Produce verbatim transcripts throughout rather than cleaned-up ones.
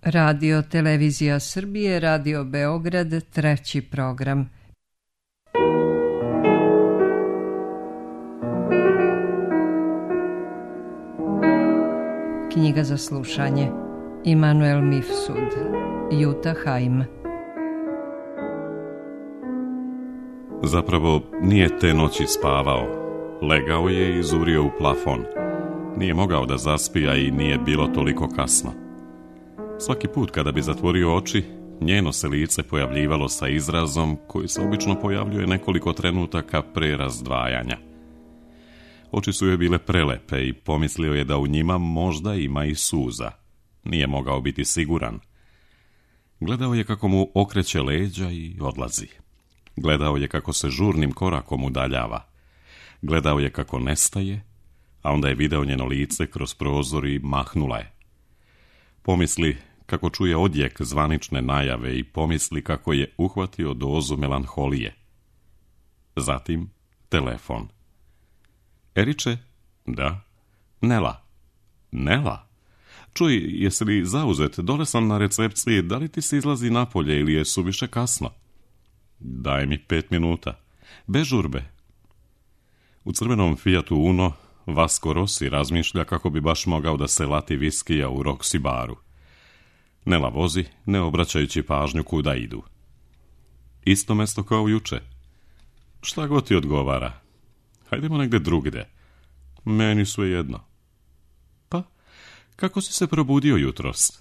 Radio Televizija Srbije, Radio Beograd, treći program. Knjiga za slušanje. Immanuel Mifsud, Jutta Heim. Zapravo nije te noći spavao. Legao je i zurio u plafon. Nije mogao da zaspija i nije bilo toliko kasno. Svaki put kada bi zatvorio oči, njeno se lice pojavljivalo sa izrazom koji se obično pojavljuje nekoliko trenutaka pre razdvajanja. Oči su joj bile prelepe i pomislio je da u njima možda ima i suza. Nije mogao biti siguran. Gledao je kako mu okreće leđa i odlazi. Gledao je kako se žurnim korakom udaljava. Gledao je kako nestaje, a onda je video njeno lice kroz prozor i mahnula je. Pomisli kako čuje odjek zvanične najave i pomisli kako je uhvatio dozu melanholije. Zatim telefon. Eriče? Da. Nela. Nela? Čuj, jesi li zauzet? Dole sam na recepciji, da li ti se izlazi napolje ili je suviše kasno? Daj mi pet minuta. Bez žurbe. U crvenom Fiatu Uno Vasco Rossi razmišlja kako bi baš mogao da se lati viskija u Roxy baru. Nela vozi, ne obraćajući pažnju kuda idu. Isto mesto kao juče. Šta god ti odgovara. Hajdemo negde drugde. Meni sve jedno. Pa, kako si se probudio jutros?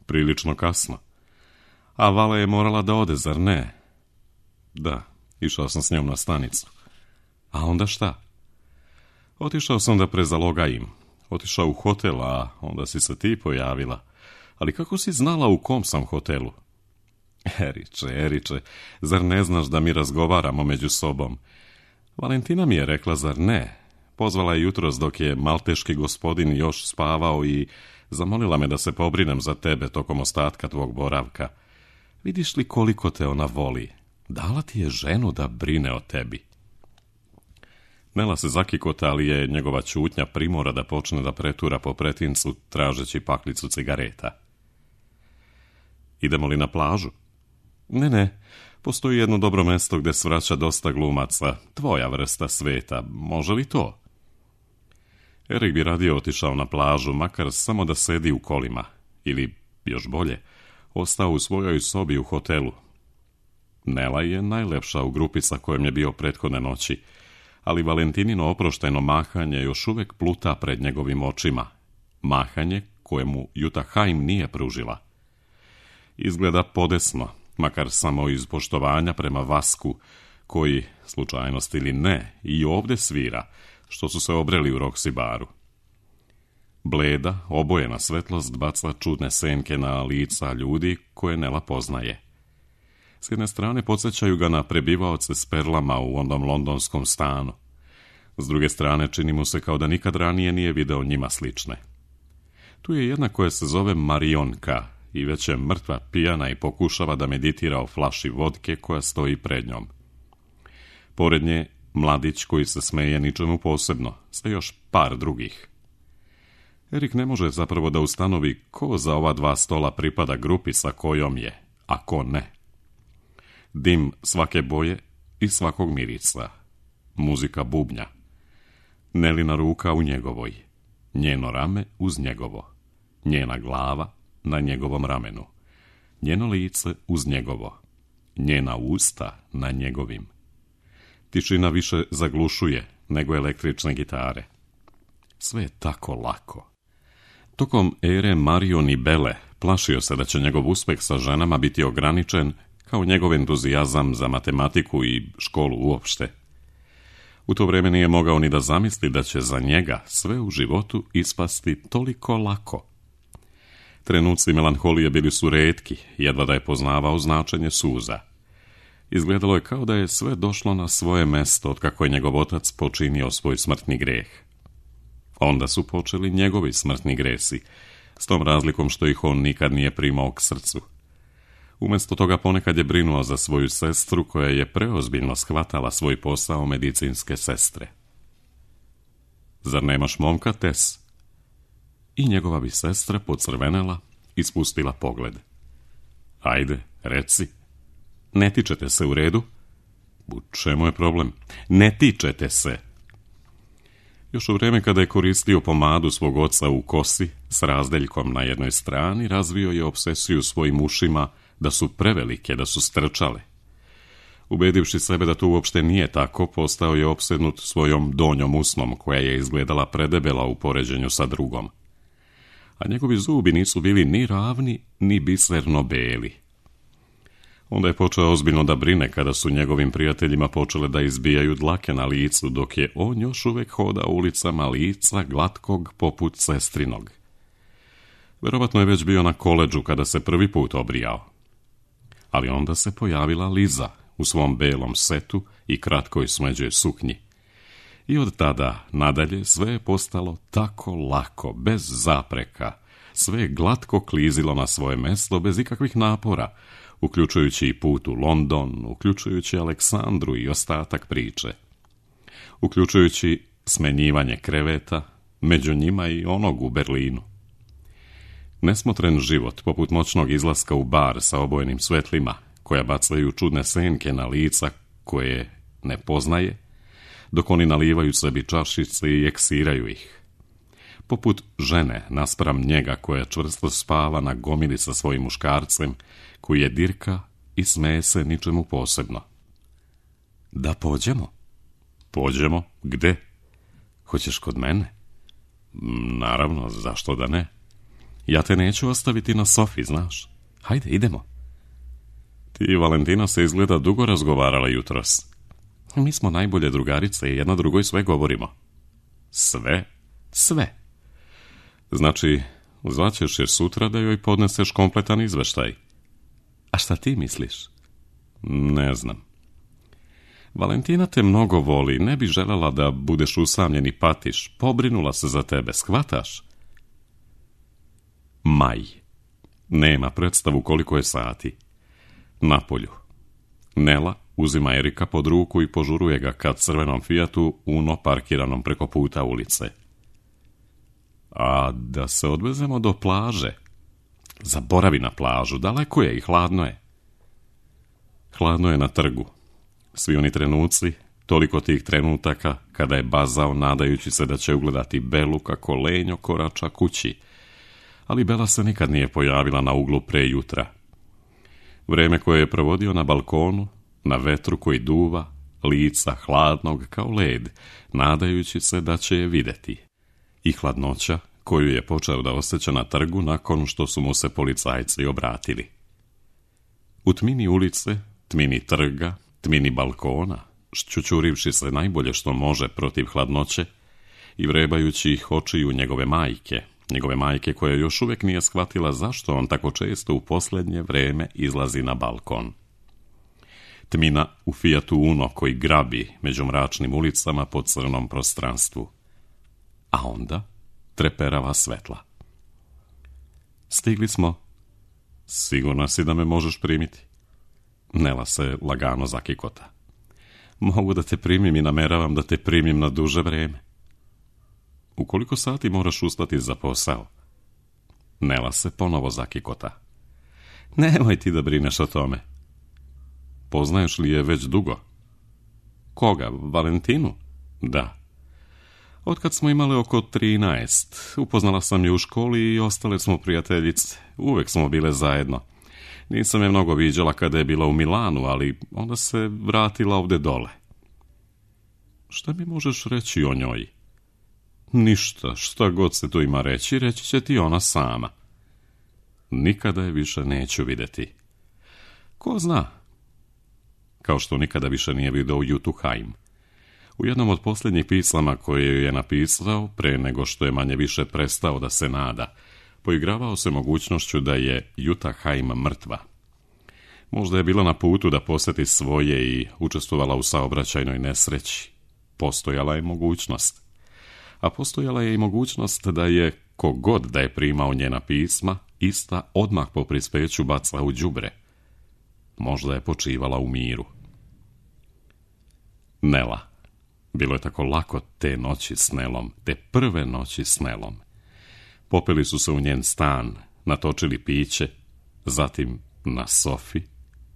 Prilično kasno. A Vala je morala da ode, zar ne? Da, išao sam s njom na stanicu. A onda šta? Otišao sam da prezalogajim. Otišao u hotel, a onda si se ti pojavila. Ali kako si znala u kom sam hotelu? Eriče, Eriče, zar ne znaš da mi razgovaramo među sobom? Valentina mi je rekla, zar ne? Pozvala je jutros dok je malteški gospodin još spavao i zamolila me da se pobrinem za tebe tokom ostatka tvog boravka. Vidiš li koliko te ona voli? Dala ti je ženu da brine o tebi. Nela se zakikota, ali je njegova ćutnja primora da počne da pretura po pretincu tražeći paklicu cigareta. Idemo li na plažu? Ne, ne, postoji jedno dobro mesto gde svraća dosta glumaca, tvoja vrsta sveta, može li to? Erik bi radije otišao na plažu, makar samo da sedi u kolima, ili, još bolje, ostao u svojoj sobi u hotelu. Nela je najlepša u grupi sa kojom je bio prethodne noći, ali Valentinino oprošteno mahanje još uvek pluta pred njegovim očima. Mahanje kojemu Jutta Heim nije pružila. Izgleda podesno, makar samo iz poštovanja prema Vasku, koji, slučajnost ili ne, i ovde svira, što su se obreli u Roxy baru. Bleda, obojena svetlost baca čudne senke na lica ljudi koje Nela poznaje. S jedne strane podsjećaju ga na prebivaoce s perlama u onom londonskom stanu. S druge strane čini mu se kao da nikad ranije nije video njima slične. Tu je jedna koja se zove Marionka i već je mrtva pijana i pokušava da meditira o flaši vodke koja stoji pred njom. Pored nje mladić koji se smeje ničemu posebno, sa još par drugih. Erik ne može zapravo da ustanovi ko za ova dva stola pripada grupi sa kojom je, a ko ne. Dim svake boje i svakog mirisa. Muzika bubnja. Nelina ruka u njegovoj. Njeno rame uz njegovo. Njena glava na njegovom ramenu. Njeno lice uz njegovo. Njena usta na njegovim. Tišina više zaglušuje nego električne gitare. Sve je tako lako. Tokom ere Marion i Bele plašio se da će njegov uspeh sa ženama biti ograničen kao njegov entuzijazam za matematiku i školu uopšte. U to vreme nije mogao ni da zamisli da će za njega sve u životu ispasti toliko lako. Trenuci melanholije bili su retki, jedva da je poznavao značenje suza. Izgledalo je kao da je sve došlo na svoje mesto od kako je njegov otac počinio svoj smrtni greh. Onda su počeli njegovi smrtni gresi, s tom razlikom što ih on nikad nije primao k srcu. Umjesto toga ponekad je brinuo za svoju sestru koja je preozbiljno shvatala svoj posao medicinske sestre. Zar nemaš momka, Tess? I njegova bi sestra pocrvenela, ispustila pogled. Ajde, reci. Ne tičete se, u redu? U čemu je problem? Ne tičete se. Još u vrijeme kada je koristio pomadu svog oca u kosi s razdeljkom na jednoj strani, razvio je obsesiju svojim ušima da su prevelike, da su strčale. Ubedivši sebe da to uopšte nije tako, postao je opsednut svojom donjom usnom, koja je izgledala predebela u poređenju sa drugom. A njegovi zubi nisu bili ni ravni, ni biserno beli. Onda je počeo ozbiljno da brine kada su njegovim prijateljima počele da izbijaju dlake na licu, dok je on još uvek hoda ulicama lica glatkog poput sestrinog. Verovatno je već bio na koledžu kada se prvi put obrijao. Ali onda se pojavila Liza u svom belom setu i kratkoj smeđoj suknji. I od tada nadalje sve je postalo tako lako, bez zapreka. Sve je glatko klizilo na svoje mesto bez ikakvih napora, uključujući i put u London, uključujući Aleksandru i ostatak priče. Uključujući smenjivanje kreveta, među njima i onog u Berlinu. Nesmotren život, poput moćnog izlaska u bar sa obojenim svetlima, koja bacaju čudne senke na lica koje ne poznaje, dok oni nalivaju sebi čašice i eksiraju ih. Poput žene naspram njega koja čvrsto spava na gomili sa svojim muškarcem, koji je dirka i smeje se ničemu posebno. Da pođemo? Pođemo? Gde? Hoćeš kod mene? Naravno, zašto da ne? Ja te neću ostaviti na sofi, znaš. Hajde, idemo. Ti i Valentina se izgleda dugo razgovarala jutros. Mi smo najbolje drugarice i jedna drugoj sve govorimo. Sve? Sve. Znači, zvaćeš je sutra da joj podneseš kompletan izveštaj. A šta ti misliš? Ne znam. Valentina te mnogo voli, ne bi željela da budeš usamljen i patiš. Pobrinula se za tebe, shvataš? Maj. Nema predstavu koliko je sati. Napolju. Nela uzima Erika pod ruku i požuruje ga ka crvenom Fijatu Uno parkiranom preko puta ulice. A da se odvezemo do plaže? Zaboravi na plažu, daleko je i hladno je. Hladno je na trgu. Svi oni trenuci, toliko tih trenutaka, kada je bazao nadajući se da će ugledati Belu kako lenjo korača kući. Ali Bela se nikad nije pojavila na uglu pre jutra. Vreme koje je provodio na balkonu, na vetru koji duva, lica hladnog kao led, nadajući se da će je videti. I hladnoća koju je počeo da osjeća na trgu nakon što su mu se policajci obratili. U tmini ulice, tmini trga, tmini balkona, šćućurivši se najbolje što može protiv hladnoće i vrebajući ih očiju njegove majke, njegove majke koja još uvijek nije shvatila zašto on tako često u posljednje vreme izlazi na balkon. Tmina u Fijatu Uno koji grabi među mračnim ulicama po crnom prostranstvu. A onda treperava svetla. Stigli smo. Sigurna si da me možeš primiti? Nela se lagano zakikota. Mogu da te primim i nameravam da te primim na duže vreme. U koliko sati moraš ustati za posao? Nela se ponovo zakikota. Nemoj ti da brineš o tome. Poznaješ li je već dugo? Koga? Valentinu? Da. Otkad smo imali oko trinaest, upoznala sam je u školi i ostale smo prijateljice. Uvek smo bile zajedno. Nisam je mnogo viđala kada je bila u Milanu, ali onda se vratila ovde dole. Šta mi možeš reći o njoj? Ništa, šta god se tu ima reći, reći će ti ona sama. Nikada je više neću vidjeti. Ko zna? Kao što nikada više nije video Jutu Haim. U jednom od posljednjih pisama koje je napisao, pre nego što je manje više prestao da se nada, poigravao se mogućnošću da je Juta Haim mrtva. Možda je bila na putu da posjeti svoje i učestvovala u saobraćajnoj nesreći. Postojala je mogućnost. A postojala je i mogućnost da je, kogod da je primao njena pisma, ista odmah po prispeću baca u đubre. Možda je počivala u miru. Nela. Bilo je tako lako te noći s Nelom, te prve noći s Nelom. Popeli su se u njen stan, natočili piće, zatim na sofi,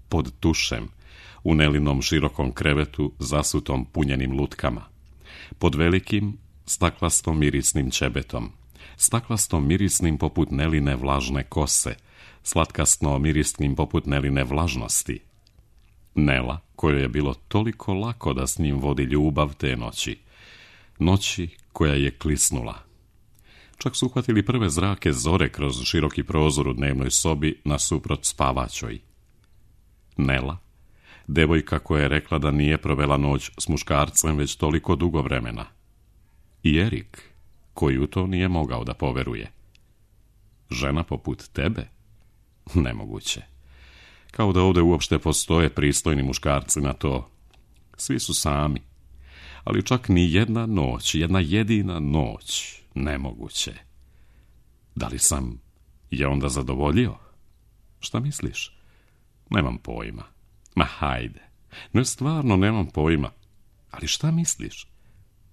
pod tušem, u Nelinom širokom krevetu zasutom punjenim lutkama, pod velikim staklastom mirisnim ćebetom, staklastom mirisnim poput Neline vlažne kose, slatkasno mirisnim poput Neline vlažnosti. Nela, kojoj je bilo toliko lako da s njim vodi ljubav te noći, noći koja je klisnula. Čak su uhvatili prve zrake zore kroz široki prozor u dnevnoj sobi nasuprot spavaćoj. Nela, devojka koja je rekla da nije provela noć s muškarcem već toliko dugo vremena. I Erik, koji u to nije mogao da poveruje. Žena poput tebe? Nemoguće. Kao da ovdje uopšte postoje pristojni muškarci na to. Svi su sami. Ali čak ni jedna noć, jedna jedina noć, nemoguće. Da li sam je onda zadovoljio? Šta misliš? Nemam pojma. Ma hajde. Ne, stvarno nemam pojma. Ali šta misliš?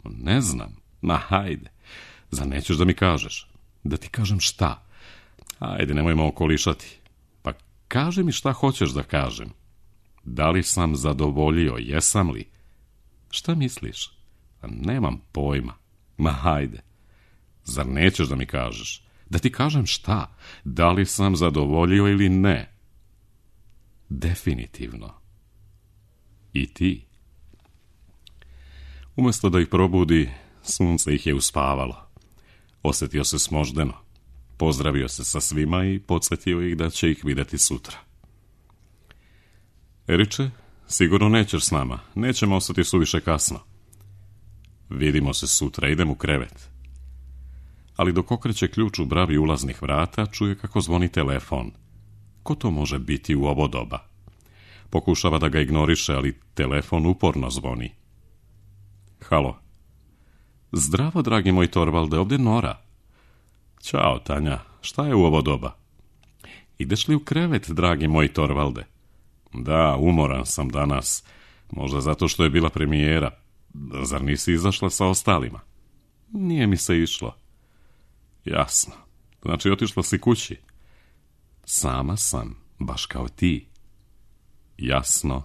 Ne znam. Ma hajde. Zar nećeš da mi kažeš? Da ti kažem šta? Hajde, nemojmo okolišati. Pa kaži mi šta hoćeš da kažem. Da li sam zadovoljio, jesam li? Šta misliš? Pa nemam pojma. Ma hajde. Zar nećeš da mi kažeš? Da ti kažem šta? Da li sam zadovoljio ili ne? Definitivno. I ti. Umjesto da ih probudi, sunce ih je uspavalo. Osjetio se smoždeno. Pozdravio se sa svima i podsjetio ih da će ih vidjeti sutra. Eriče, sigurno nećeš s nama. Nećemo ostati suviše kasno. Vidimo se sutra, idem u krevet. Ali dok okreće ključ u bravi ulaznih vrata, čuje kako zvoni telefon. Ko to može biti u ovo doba? Pokušava da ga ignoriše, ali telefon uporno zvoni. Halo. Zdravo, dragi moj Torvalde, ovdje Nora. Ćao, Tanja, šta je u ovo doba? Ideš li u krevet, dragi moj Torvalde? Da, umoran sam danas. Možda zato što je bila premijera. Zar nisi izašla sa ostalima? Nije mi se išlo. Jasno. Znači, otišla si kući? Sama sam, baš kao ti. Jasno.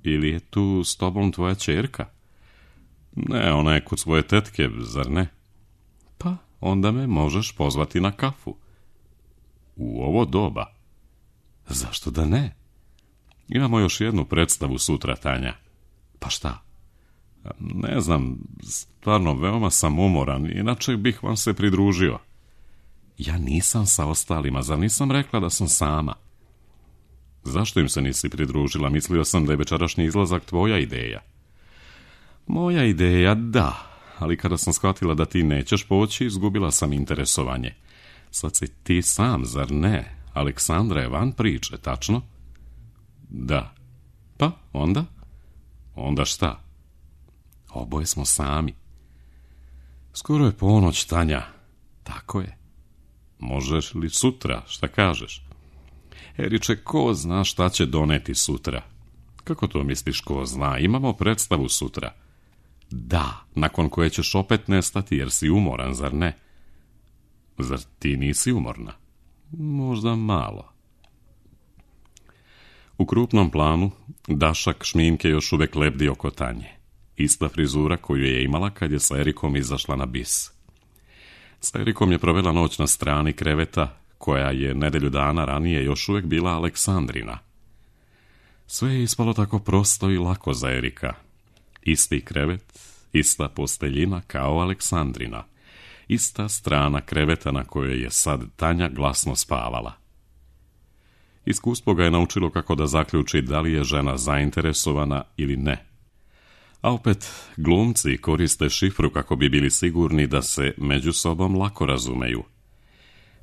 Ili je tu s tobom tvoja ćerka? Ne, ona je kod svoje tetke, zar ne? Pa, onda me možeš pozvati na kafu. U ovo doba? Zašto da ne? Imamo još jednu predstavu sutra, Tanja. Pa šta? Ne znam, stvarno veoma sam umoran, inače bih vam se pridružio. Ja nisam sa ostalima, zar nisam rekla da sam sama? Zašto im se nisi pridružila? Mislio sam da je večerašnji izlazak tvoja ideja. Moja ideja, da, ali kada sam shvatila da ti nećeš poći, izgubila sam interesovanje. Sad si ti sam, zar ne? Aleksandra je van priče, tačno? Da. Pa, onda? Onda šta? Oboje smo sami. Skoro je ponoć, Tanja. Tako je. Možeš li sutra, šta kažeš? Eriče, ko zna šta će doneti sutra? Kako to misliš, ko zna? Imamo predstavu sutra. Da, nakon koje ćeš opet nestati jer si umoran, zar ne? Zar ti nisi umorna? Možda malo. U krupnom planu dašak šminke još uvek lebdi oko Tanje. Ista frizura koju je imala kad je sa Erikom izašla na bis. Sa Erikom je provela noć na strani kreveta, koja je nedelju dana ranije još uvek bila Aleksandrina. Sve je ispalo tako prosto i lako za Erika. Isti krevet, ista posteljina kao Aleksandrina. Ista strana kreveta na kojoj je sad Tanja glasno spavala. Iskustvo ga je naučilo kako da zaključi da li je žena zainteresovana ili ne. A opet, glumci koriste šifru kako bi bili sigurni da se među sobom lako razumeju.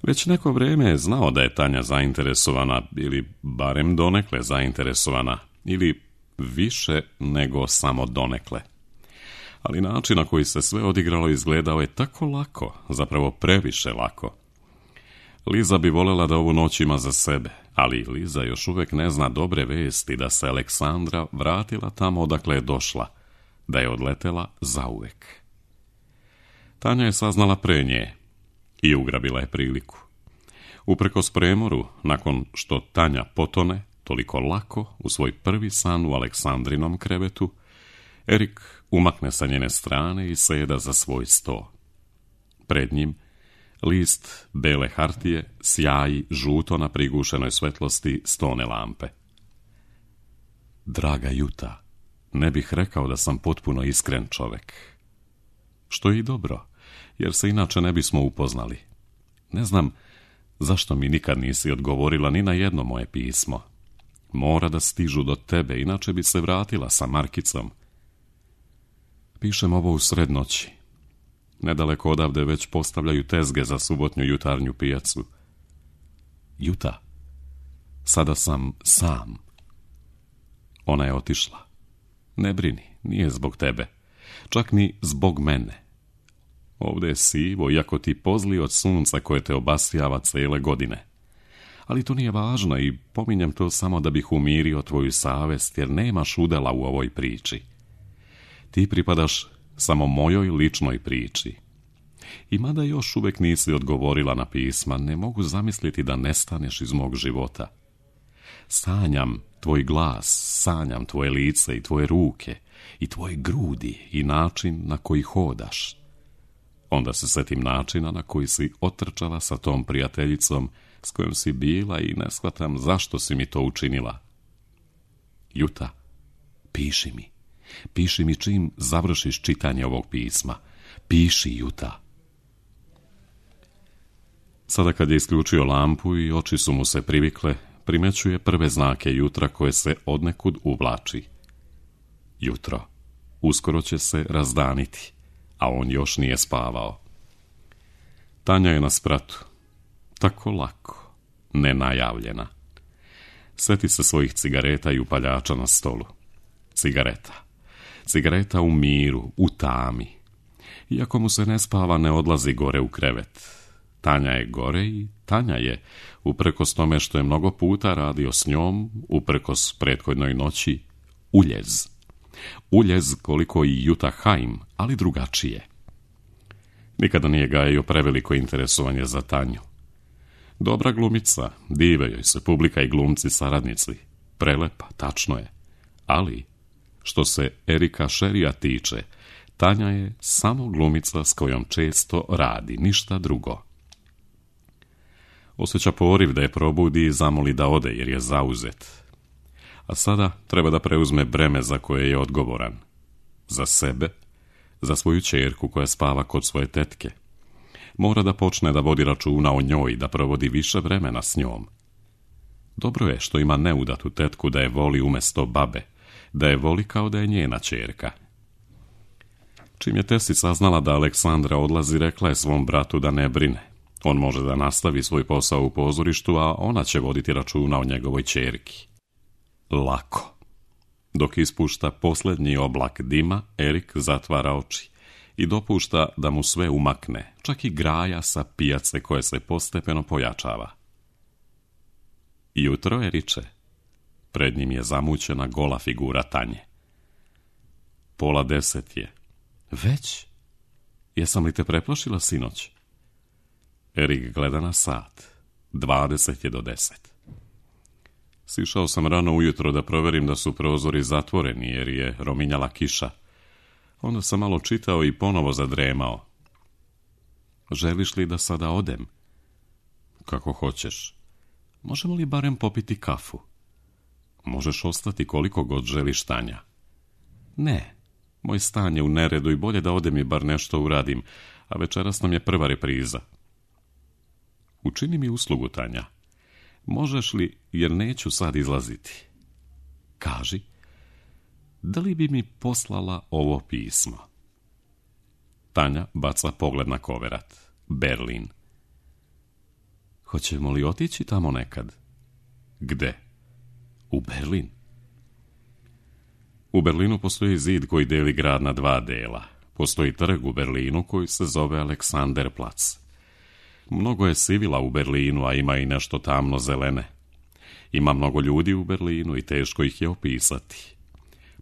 Već neko vrijeme je znao da je Tanja zainteresovana, ili barem donekle zainteresovana, ili više nego samo donekle. Ali način na koji se sve odigralo izgledao je tako lako, zapravo previše lako. Liza bi voljela da ovu noć ima za sebe, ali Liza još uvijek ne zna dobre vesti da se Aleksandra vratila tamo odakle je došla, da je odletela zauvek. Tanja je saznala pre nje i ugrabila je priliku. Uprkos premoru, nakon što Tanja potone toliko lako u svoj prvi san u Aleksandrinom krevetu, Erik umakne sa njene strane i seda za svoj sto. Pred njim list bele hartije sjaji žuto na prigušenoj svetlosti stone lampe. Draga Juta, ne bih rekao da sam potpuno iskren čovek. Što je i dobro, jer se inače ne bismo upoznali. Ne znam zašto mi nikad nisi odgovorila ni na jedno moje pismo. Mora da stižu do tebe, inače bi se vratila sa markicom. Pišem ovo u sred noći. Nedaleko odavde već postavljaju tezge za subotnju jutarnju pijacu. Juta, sada sam sam. Ona je otišla. Ne brini, nije zbog tebe. Čak ni zbog mene. Ovde je sivo, iako ti pozli od sunca koje te obasjava cele godine. Ali to nije važno i pominjem to samo da bih umirio tvoju savest, jer nemaš udela u ovoj priči. Ti pripadaš samo mojoj ličnoj priči. I mada još uvek nisi odgovorila na pisma, ne mogu zamisliti da nestaneš iz mog života. Sanjam tvoj glas, sanjam tvoje lice i tvoje ruke, i tvoje grudi i način na koji hodaš. Onda se setim načina na koji si otrčala sa tom prijateljicom s kojom si bila i ne shvatam zašto si mi to učinila. Juta, piši mi. Piši mi čim završiš čitanje ovog pisma. Piši, Juta. Sada kad je isključio lampu i oči su mu se privikle, primećuje prve znake jutra koje se odnekud uvlači. Jutro. Uskoro će se razdaniti, a on još nije spavao. Tanja je na spratu. Tako lako, nenajavljena. Seti se svojih cigareta i upaljača na stolu. Cigareta. Cigareta u miru, u tami. Iako mu se ne spava, ne odlazi gore u krevet. Tanja je gore i Tanja je, uprkos tome što je mnogo puta radio s njom, uprkos prethodnoj noći, uljez. Uljez koliko i Juta Haim, ali drugačije. Nikada nije gajio preveliko interesovanje za Tanju. Dobra glumica, dive joj se publika i glumci saradnici. Prelepa, tačno je. Ali, što se Erika Sherrya tiče, Tanja je samo glumica s kojom često radi, ništa drugo. Osjeća poriv da je probudi i zamoli da ode jer je zauzet. A sada treba da preuzme breme za koje je odgovoran. Za sebe, za svoju ćerku koja spava kod svoje tetke. Mora da počne da vodi računa o njoj i da provodi više vremena s njom. Dobro je što ima neudatu tetku da je voli umesto babe, da je voli kao da je njena ćerka. Čim je Tesi saznala da Aleksandra odlazi, rekla je svom bratu da ne brine. On može da nastavi svoj posao u pozorištu, a ona će voditi računa o njegovoj ćerki. Lako. Dok ispušta posljednji oblak dima, Erik zatvara oči i dopušta da mu sve umakne, čak i graja sa pijace koje se postepeno pojačava. Jutro, Eriče. Pred njim je zamućena gola figura Tanje. Pola deset je. Već? Jesam li te preplašila sinoć? Erik gleda na sat. Dvadeset je do deset. Sišao sam rano ujutro da proverim da su prozori zatvoreni jer je rominjala kiša. Onda sam malo čitao i ponovo zadremao. Želiš li da sada odem? Kako hoćeš. Možemo li barem popiti kafu? Možeš ostati koliko god želiš, Tanja. Ne, moj stan je u neredu i bolje da odem i bar nešto uradim, a večeras nam je prva repriza. Učini mi uslugu, Tanja. Možeš li, jer neću sad izlaziti. Kaži, da li bi mi poslala ovo pismo? Tanja baca pogled na koverat. Berlin. Hoćemo li otići tamo nekad? Gde? U Berlin. U Berlinu postoji zid koji deli grad na dva dela. Postoji trg u Berlinu koji se zove Aleksanderplatz. Mnogo je sivila u Berlinu, a ima i nešto tamno zelene. Ima mnogo ljudi u Berlinu i teško ih je opisati.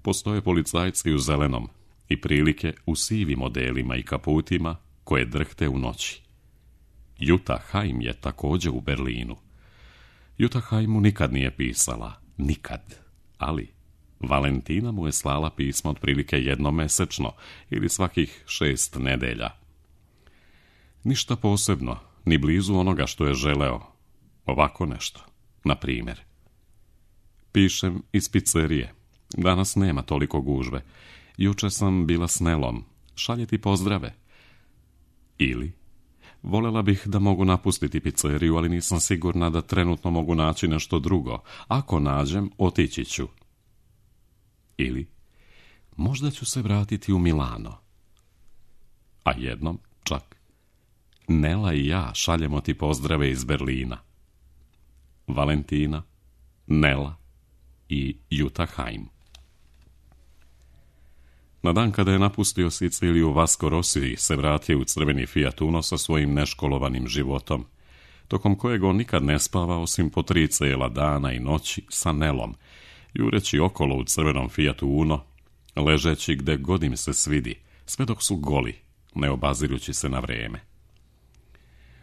Postoje policajci u zelenom i prilike u sivim modelima i kaputima koje drhte u noći. Jutta Heim je također u Berlinu. Jutta Heim mu nikad nije pisala, nikad, ali Valentina mu je slala pismo otprilike jednomesečno ili svakih šest nedelja. Ništa posebno, ni blizu onoga što je želeo. Ovako nešto, na primjer. Pišem iz pizzerije. Danas nema toliko gužve. Jučer sam bila s Nelom. Šalje ti pozdrave. Ili, voljela bih da mogu napustiti pizzeriju, ali nisam sigurna da trenutno mogu naći nešto drugo. Ako nađem, otići ću. Ili, možda ću se vratiti u Milano. A jednom, čak, Nela i ja šaljemo ti pozdrave iz Berlina. Valentina, Nela i Jutta Heim. Na dan kada je napustio Siciliju, Vasco Rossi se vratio u crveni Fiat Uno sa svojim neškolovanim životom, tokom kojeg on nikad ne spava osim po tri cijela dana i noći sa Nelom, jureći okolo u crvenom Fiatu Uno, ležeći gde god im se svidi, sve dok su goli, ne obazirući se na vrijeme.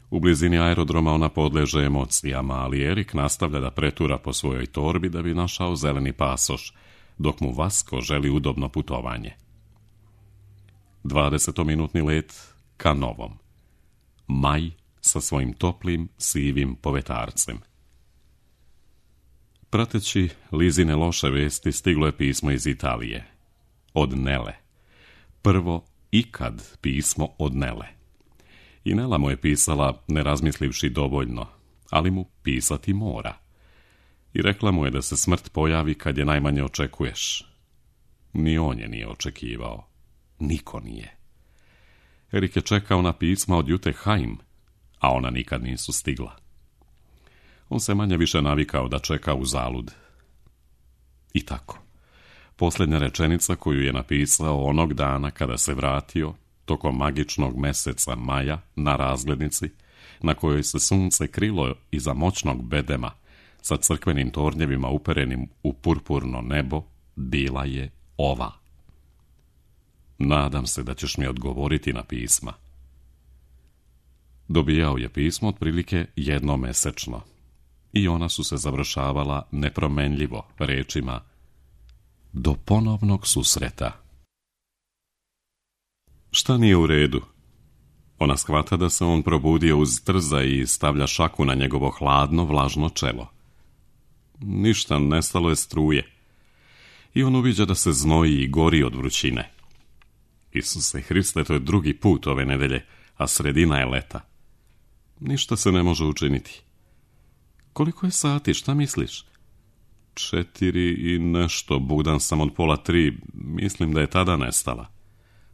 U blizini aerodroma ona podleže emocijama, ali Erik nastavlja da pretura po svojoj torbi da bi našao zeleni pasoš, dok mu Vasco želi udobno putovanje. dvadesetominutni let ka Novom. Maj sa svojim toplim, sivim povetarcem. Prateći Lizine loše vesti, stiglo je pismo iz Italije. Od Nele. Prvo ikad pismo od Nele. I Nela mu je pisala, ne razmislivši dovoljno, ali mu pisati mora. I rekla mu je da se smrt pojavi kad je najmanje očekuješ. Ni on je nije očekivao. Niko nije. Erik je čekao na pisma od Jutte Heim, a ona nikad nisu stigla. On se manje više navikao da čeka u zalud. I tako. Posljednja rečenica koju je napisao onog dana kada se vratio, tokom magičnog meseca maja, na razglednici, na kojoj se sunce krilo iza moćnog bedema, sa crkvenim tornjevima uperenim u purpurno nebo, bila je ova. Nadam se da ćeš mi odgovoriti na pisma. Dobijao je pismo otprilike jednomesečno i ona su se završavala nepromenljivo rečima do ponovnog susreta. Šta nije u redu? Ona shvata da se on probudio uz trza i stavlja šaku na njegovo hladno, vlažno čelo. Ništa, nestalo je struje. I on uviđa da se znoji i gori od vrućine. Isuse Hriste, to je drugi put ove nedelje, a sredina je leta. Ništa se ne može učiniti. Koliko je sati, šta misliš? Četiri i nešto, budan sam od pola tri, mislim da je tada nestala.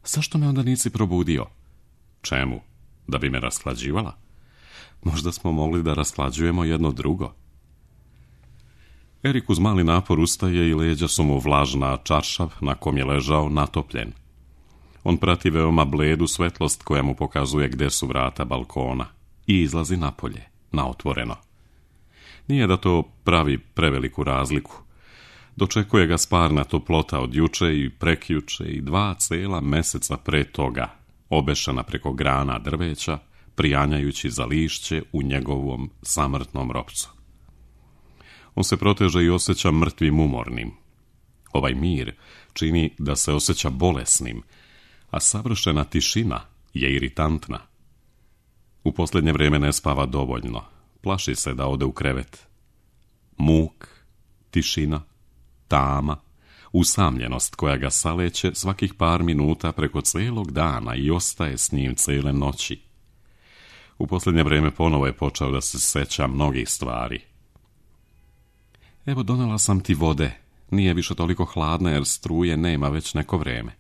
Zašto me onda nisi probudio? Čemu? Da bi me rashlađivala? Možda smo mogli da rashlađujemo jedno drugo. Erik uz mali napor ustaje i leđa su mu vlažna, a čaršav na kom je ležao natopljen. On prati veoma bledu svetlost koja mu pokazuje gde su vrata balkona i izlazi napolje, na otvoreno. Nije da to pravi preveliku razliku. Dočekuje ga sparna toplota od juče i prekjuče i dva cela meseca pre toga, obešena preko grana drveća, prijanjajući za lišće u njegovom samrtnom ropcu. On se proteže i osjeća mrtvim umornim. Ovaj mir čini da se osjeća bolesnim, a savršena tišina je iritantna. U posljednje vrijeme ne spava dovoljno, plaši se da ode u krevet. Muk, tišina, tama, usamljenost koja ga saleće svakih par minuta preko cijelog dana i ostaje s njim cijele noći. U posljednje vrijeme ponovo je počeo da se seća mnogih stvari. Evo, donela sam ti vode, nije više toliko hladna jer struje nema već neko vrijeme.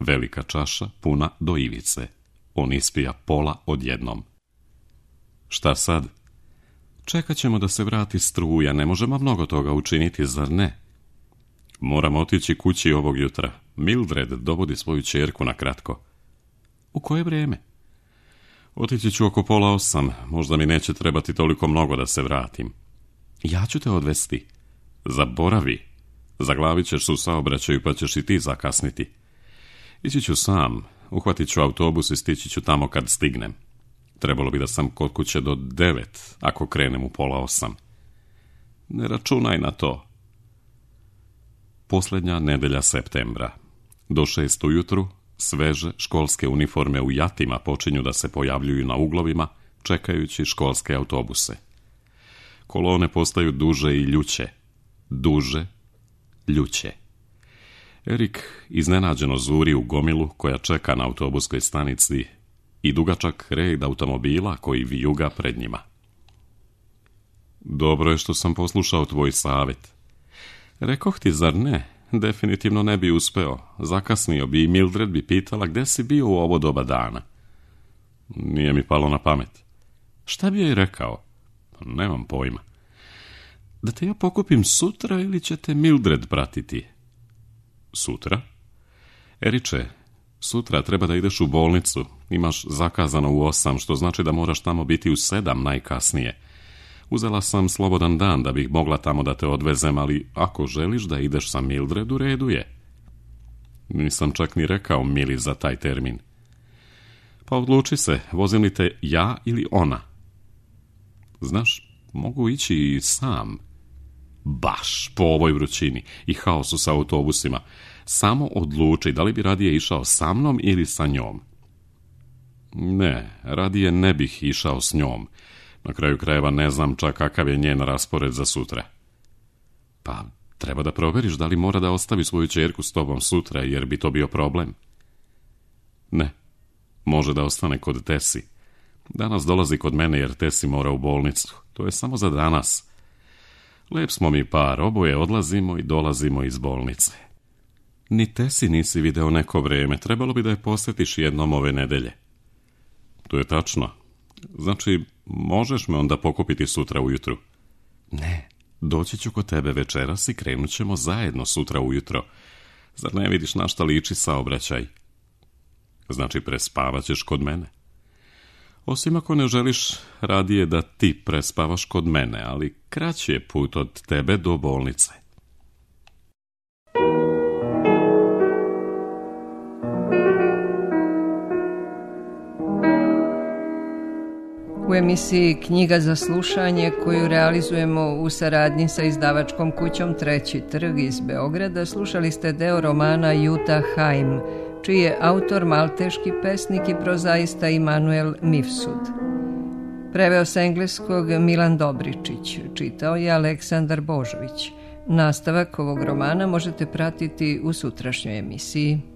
Velika čaša puna do ivice. On ispija pola odjednom. Šta sad? Čekat ćemo da se vrati struja, ne možemo mnogo toga učiniti, zar ne? Moram otići kući ovog jutra. Mildred dovodi svoju ćerku na kratko. U koje vrijeme? Otići ću oko pola osam, možda mi neće trebati toliko mnogo da se vratim. Ja ću te odvesti. Zaboravi. Zaglavit ćeš se u saobraćaju pa ćeš i ti zakasniti. Ići ću sam, uhvatit ću autobus i stići ću tamo kad stignem. Trebalo bi da sam kod kuće do devet, ako krenem u pola osam. Ne računaj na to. Posljednja nedelja septembra. Do šest ujutru sveže školske uniforme u jatima počinju da se pojavljuju na uglovima, čekajući školske autobuse. Kolone postaju duže i ljuće. Duže, ljuće. Erik iznenađeno zuri u gomilu koja čeka na autobuskoj stanici i dugačak red automobila koji vijuga pred njima. Dobro je što sam poslušao tvoj savjet. Rekoh ti, zar ne? Definitivno ne bi uspeo. Zakasnio bi i Mildred bi pitala gde si bio u ovo doba dana. Nije mi palo na pamet. Šta bi joj rekao? Nemam pojma. Da te ja pokupim sutra ili će te Mildred pratiti? Sutra? Eriče, sutra treba da ideš u bolnicu. Imaš zakazano u osam, što znači da moraš tamo biti u sedam najkasnije. Uzela sam slobodan dan da bih mogla tamo da te odvezem, ali ako želiš da ideš sa Mildred, u redu je. Nisam čak ni rekao Mili za taj termin. Pa odluči se, vozim li te ja ili ona? Znaš, mogu ići i sam. Baš po ovoj vrućini i haosu sa autobusima. Samo odluči da li bi radije išao sa mnom ili sa njom. Ne, radije ne bih išao s njom. Na kraju krajeva ne znam čak kakav je njen raspored za sutra. Pa, treba da proveriš da li mora da ostavi svoju ćerku s tobom sutra, jer bi to bio problem. Ne, može da ostane kod Tesi. Danas dolazi kod mene jer Tesi mora u bolnicu. To je samo za danas. Lep smo mi par, oboje odlazimo i dolazimo iz bolnice. Ni Tesi nisi video neko vreme, trebalo bi da je posjetiš jednom ove nedelje. To je tačno. Znači, možeš me onda pokupiti sutra ujutru? Ne, doći ću kod tebe večeras i krenut ćemo zajedno sutra ujutro. Zar ne vidiš na šta liči saobraćaj? Znači, prespavat ćeš kod mene. Osim ako ne želiš radije da ti prespavaš kod mene, ali kraći je put od tebe do bolnice. U emisiji Knjiga za slušanje, koju realizujemo u saradnji sa izdavačkom kućom Treći trg iz Beograda, slušali ste deo romana Jutta Heim, čiji je autor malteški pesnik i prozaista Immanuel Mifsud. Preveo sa engleskog Milan Dobričić, čitao je Aleksandar Božović. Nastavak ovog romana možete pratiti u sutrašnjoj emisiji.